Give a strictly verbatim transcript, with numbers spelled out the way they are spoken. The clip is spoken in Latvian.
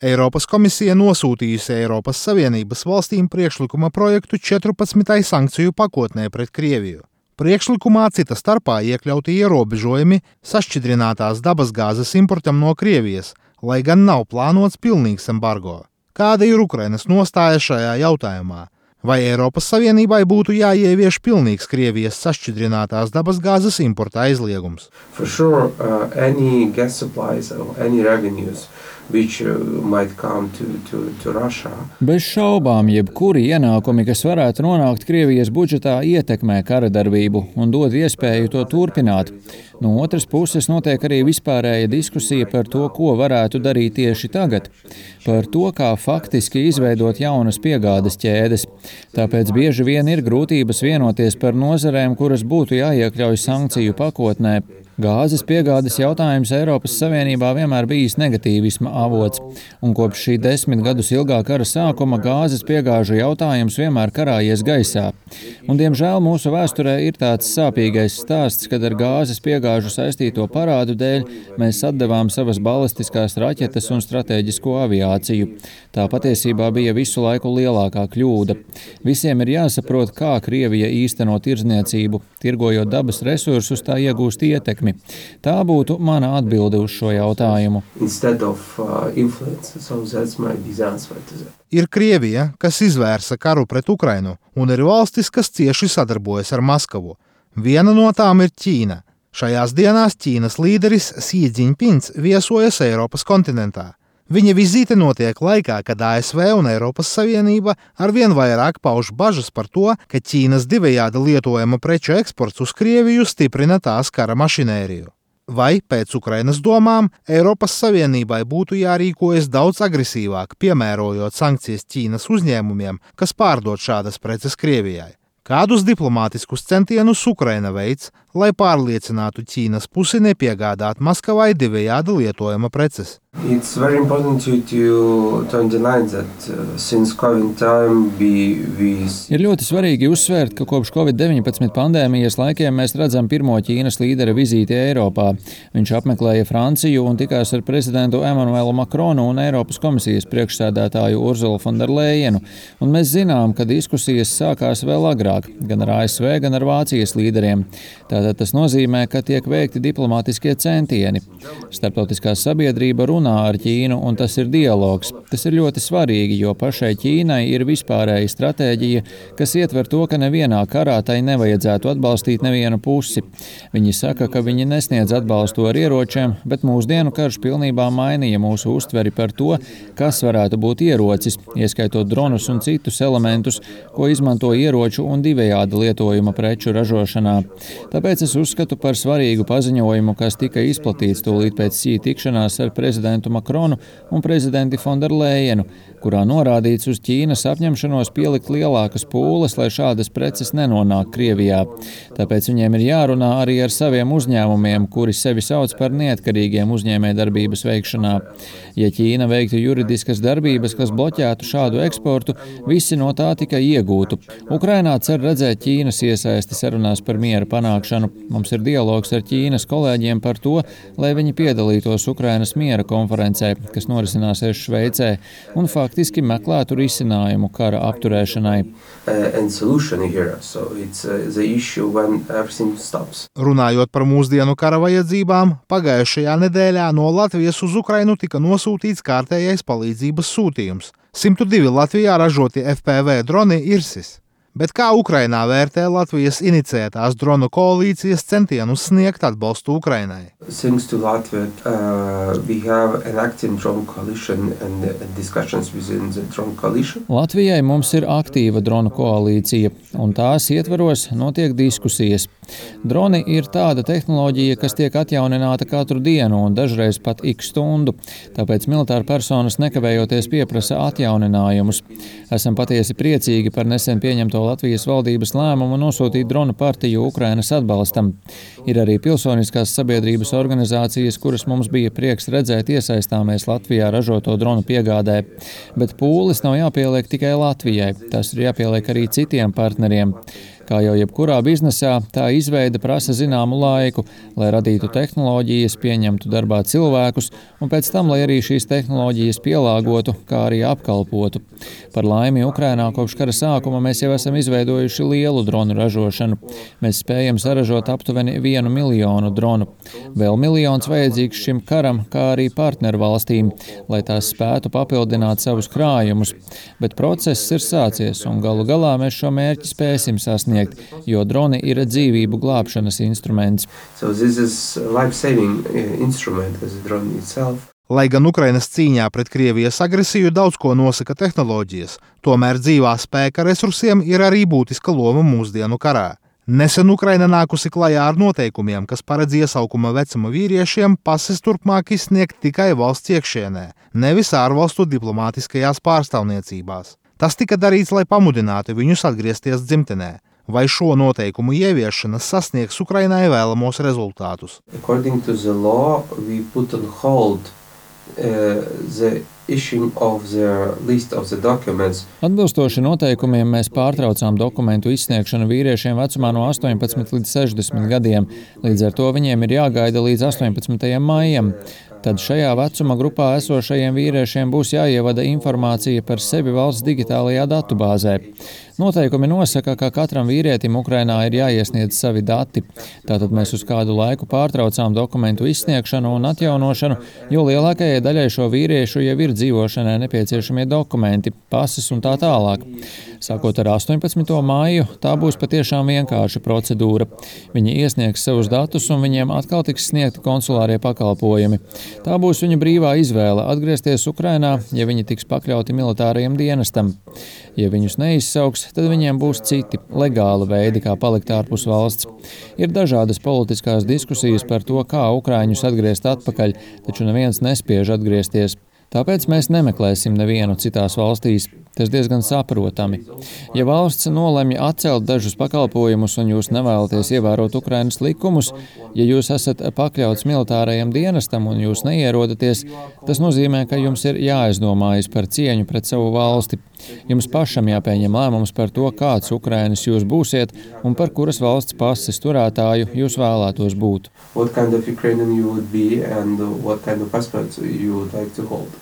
Eiropas komisija nosūtījusi Eiropas Savienības valstīm priekšlikuma projektu četrpadsmitai sankciju pakotnē pret Krieviju. Priekšlikumā cita starpā iekļauti ierobežojumi sašķidrinātās dabasgāzes importam no Krievijas, lai gan nav plānots pilnīgs embargo. Kāda ir Ukrainas nostāja šajā jautājumā? Vai Eiropas Savienībai būtu jāievieš pilnīgs Krievijas sašķidrinātās dabasgāzes importa aizliegums? For sure, uh, any gas supplies or any revenues which uh, might come to, to, to Russia. Bez šaubām, jebkuri ienākumi, kas varētu nonākt Krievijas budžetā, ietekmē kara darbību un dod iespēju to turpināt. No otras puses notiek arī vispārēja diskusija par to, ko varētu darīt tieši tagad, par to, kā faktiski izveidot jaunas piegādes ķēdes. Tāpēc bieži vien ir grūtības vienoties par nozarēm, kuras būtu jāiekļauj sankciju pakotnē. Gāzes piegādes jautājums Eiropas Savienībā vienmēr bijis negatīvisma avots, un kopš šī desmit gadus ilgā kara sākuma gāzes piegāžu jautājums vienmēr karājies gaisā. Un, diemžēl, mūsu vēsturē ir tāds sāpīgais stāsts, kad ar gāzes piegāžu saistīto parādu dēļ mēs atdevām savas balistiskās raķetes un stratēģisko aviāciju. Tā patiesībā bija visu laiku lielākā kļūda. Visiem ir jāsaprot, kā Krievija īsteno tirdzniecību, tirgojot dabas resursus, tā iegūst ietekmi. Tā būtu mana atbilde uz šo jautājumu. Of, uh, so ir Krievija, kas izvērsa karu pret Ukrainu, un ir valstis, kas cieši sadarbojas ar Maskavu. Viena no tām ir Ķīna. Šajās dienās Ķīnas līderis Xi Jinpings viesojas Eiropas kontinentā. Viņa vizīte notiek laikā, kad A S V un Eiropas Savienība arvien vairāk pauž bažas par to, ka Ķīnas divējādi lietojama preču eksports uz Krieviju stiprina tās kara mašinēriju. Vai, pēc Ukrainas domām, Eiropas Savienībai būtu jārīkojas daudz agresīvāk, piemērojot sankcijas Ķīnas uzņēmumiem, kas pārdod šādas preces Krievijai? Kādus diplomātiskus centienus Ukraina veids, lai pārliecinātu Ķīnas pusi nepiegādāt Maskavai divējādi lietojama preces? It's very important to, to, to underline that uh, since COVID time we, we... Ir ļoti svarīgi uzsvērt, ka kopš covid deviņpadsmit pandēmijas laikiem mēs redzam pirmo Ķīnas līdera vizīti Eiropā. Viņš apmeklēja Franciju un tikās ar prezidentu Emmanuelu Macronu un Eiropas komisijas priekšsēdētāju Ursulu von der Leyenu. Un mēs zinām, ka diskusijas sākās vēl agrāk, gan ar A S V, gan ar Vācijas līderiem. Tātad tas nozīmē, ka tiek veikti diplomātiskie centieni. Starptautiskā sabiedrība runā ar Ķīnu, un tas ir dialogs. Tas ir ļoti svarīgi, jo pašai Ķīnai ir vispārēja stratēģija, kas ietver to, ka nevienā karā tai nevajadzētu atbalstīt nevienu pusi. Viņi saka, ka viņi nesniedz atbalstu ar ieročiem, bet mūsdienu karš pilnībā mainīja mūsu uztveri par to, kas varētu būt ierocis, ieskaitot dronus un citus elementus, ko izmanto ieroču un divējādi lietojuma preču ražošanā. Tāpēc es uzskatu par svarīgu paziņojumu, kas tika izplatīts tūlīt pēc Xi tikšanās ar prezidentu Makronu un prezidenti von der Leyenu, kurā norādīts uz Ķīnas apņemšanos pielikt lielākas pūles, lai šādas preces nenonāk Krievijā. Tāpēc viņiem ir jārunā arī ar saviem uzņēmumiem, kuri sevi sauc par neatkarīgiem uzņēmējdarbības veikšanā. Ja Ķīna veiktu juridiskas darbības, kas bloķētu šādu eksportu, visi no tā tikai iegūtu. Ukrainā cer redzēt Ķīnas iesaisti sarunās par miera panākšanu. Mums ir dialogs ar Ķīnas kolēģiem par to, lai viņi piedalītos Ukrainas miera konferencē, kas norisināsies Šveicē, un faktiski meklētu risinājumu kara apturēšanai. Runājot par mūsdienu kara vajadzībām, pagājušajā nedēļā no Latvijas uz Ukrainu tika nosūtīts kārtējais palīdzības sūtījums. simt divi Latvijā ražoti F P V droni Irsis. Bet kā Ukrainā vērtē Latvijas iniciētās dronu koalīcijas centienus sniegt atbalstu Ukrainai? Thanks to Latvia, uh, we have an active drone coalition and discussions within the drone coalition. Latvijai mums ir aktīva dronu koalīcija, un tās ietvaros notiek diskusijas. Droni ir tāda tehnoloģija, kas tiek atjaunināta katru dienu un dažreiz pat ik stundu, tāpēc militāra personas nekavējoties pieprasa atjauninājumus. Esam patiesi priecīgi par nesen pieņemto Latvijas valdības lēmumu nosūtīt dronu partiju Ukrainas atbalstam. Ir arī pilsoniskās sabiedrības organizācijas, kuras mums bija prieks redzēt iesaistāmies Latvijā ražoto dronu piegādē. Bet pūles nav jāpieliek tikai Latvijai, tas ir jāpieliek arī citiem partneriem. Kā jau jebkurā biznesā, tā izveide prasa zināmu laiku, lai radītu tehnoloģijas, pieņemtu darbā cilvēkus un pēc tam, lai arī šīs tehnoloģijas pielāgotu, kā arī apkalpotu. Par laimi Ukrainā kopš kara sākuma mēs jau esam izveidojuši lielu dronu ražošanu. Mēs spējam saražot aptuveni vienu miljonu dronu. Vēl miljons vajadzīgs šim karam, kā arī partneru valstīm, lai tās spētu papildināt savus krājumus. Bet process ir sācies, un galu galā mēs šo mērķi spēsim sasniegt, jo droni ir dzīvību glābšanas instruments. So this is a life-saving instrument as a drone itself. Lai gan Ukrainas cīņā pret Krievijas agresiju daudz ko nosaka tehnoloģijas, tomēr dzīvā spēka resursiem ir arī būtiska loma mūsdienu karā. Nesen Ukraina nākusi klajā ar noteikumiem, kas paredz iesaukuma vecuma vīriešiem pases turpmāk izsniegt tikai valsts iekšienē, nevis ārvalstu diplomātiskajās pārstāvniecībās. Tas tika darīts, lai pamudinātu viņus atgriezties dzimtenē. Vai šo noteikumu ieviešana sasniegs Ukrainai vēlamos rezultātus? According to the law, we put on hold uh, the issuing of the list of the documents. Atbilstoši noteikumiem mēs pārtraucām dokumentu izsniegšanu vīriešiem vecumā no astoņpadsmit līdz sešdesmit gadiem. Līdz ar to viņiem ir jāgaida līdz astoņpadsmitajam maijam. Tad šajā vecuma grupā esošajiem vīriešiem būs jāievada informācija par sevi valsts digitālajā datubāzē. Noteikumi nosaka, ka katram vīrietim Ukrainā ir jāiesniedz savi dati. Tātad mēs uz kādu laiku pārtraucām dokumentu izsniegšanu un atjaunošanu, jo lielākajai daļai šo vīriešu jau ir dzīvošanai nepieciešamie dokumenti, pases un tā tālāk. Sākot ar astoņpadsmito māju, tā būs patiešām vienkārša procedūra. Viņi iesniegs savus datus un viņiem atkal tiks sniegti konsulārie pakalpojumi. Tā būs viņa brīvā izvēle atgriezties Ukrainā, ja viņi tiks pakļauti militārajam dienestam. Ja viņus neizsauks, tad viņiem būs citi, legāli veidi, kā palikt ārpus valsts. Ir dažādas politiskās diskusijas par to, kā ukraiņus atgriezt atpakaļ, taču neviens nespiež atgriezties. Tāpēc mēs nemeklēsim nevienu citās valstīs. Tas diezgan saprotami. Ja valsts nolemj atcelt dažus pakalpojumus un jūs nevēlaties ievērot Ukrainas likumus, ja jūs esat pakļauts militārajam dienestam un jūs neierodaties, tas nozīmē, ka jums ir jāizdomājas par cieņu pret savu valsti. Jums pašam jāpieņem lēmums par to, kāds Ukrainis jūs būsiet un par kuras valsts pases turētāju jūs vēlētos būt. What kind of Ukrainian you would be and what kind of passport you would like to hold.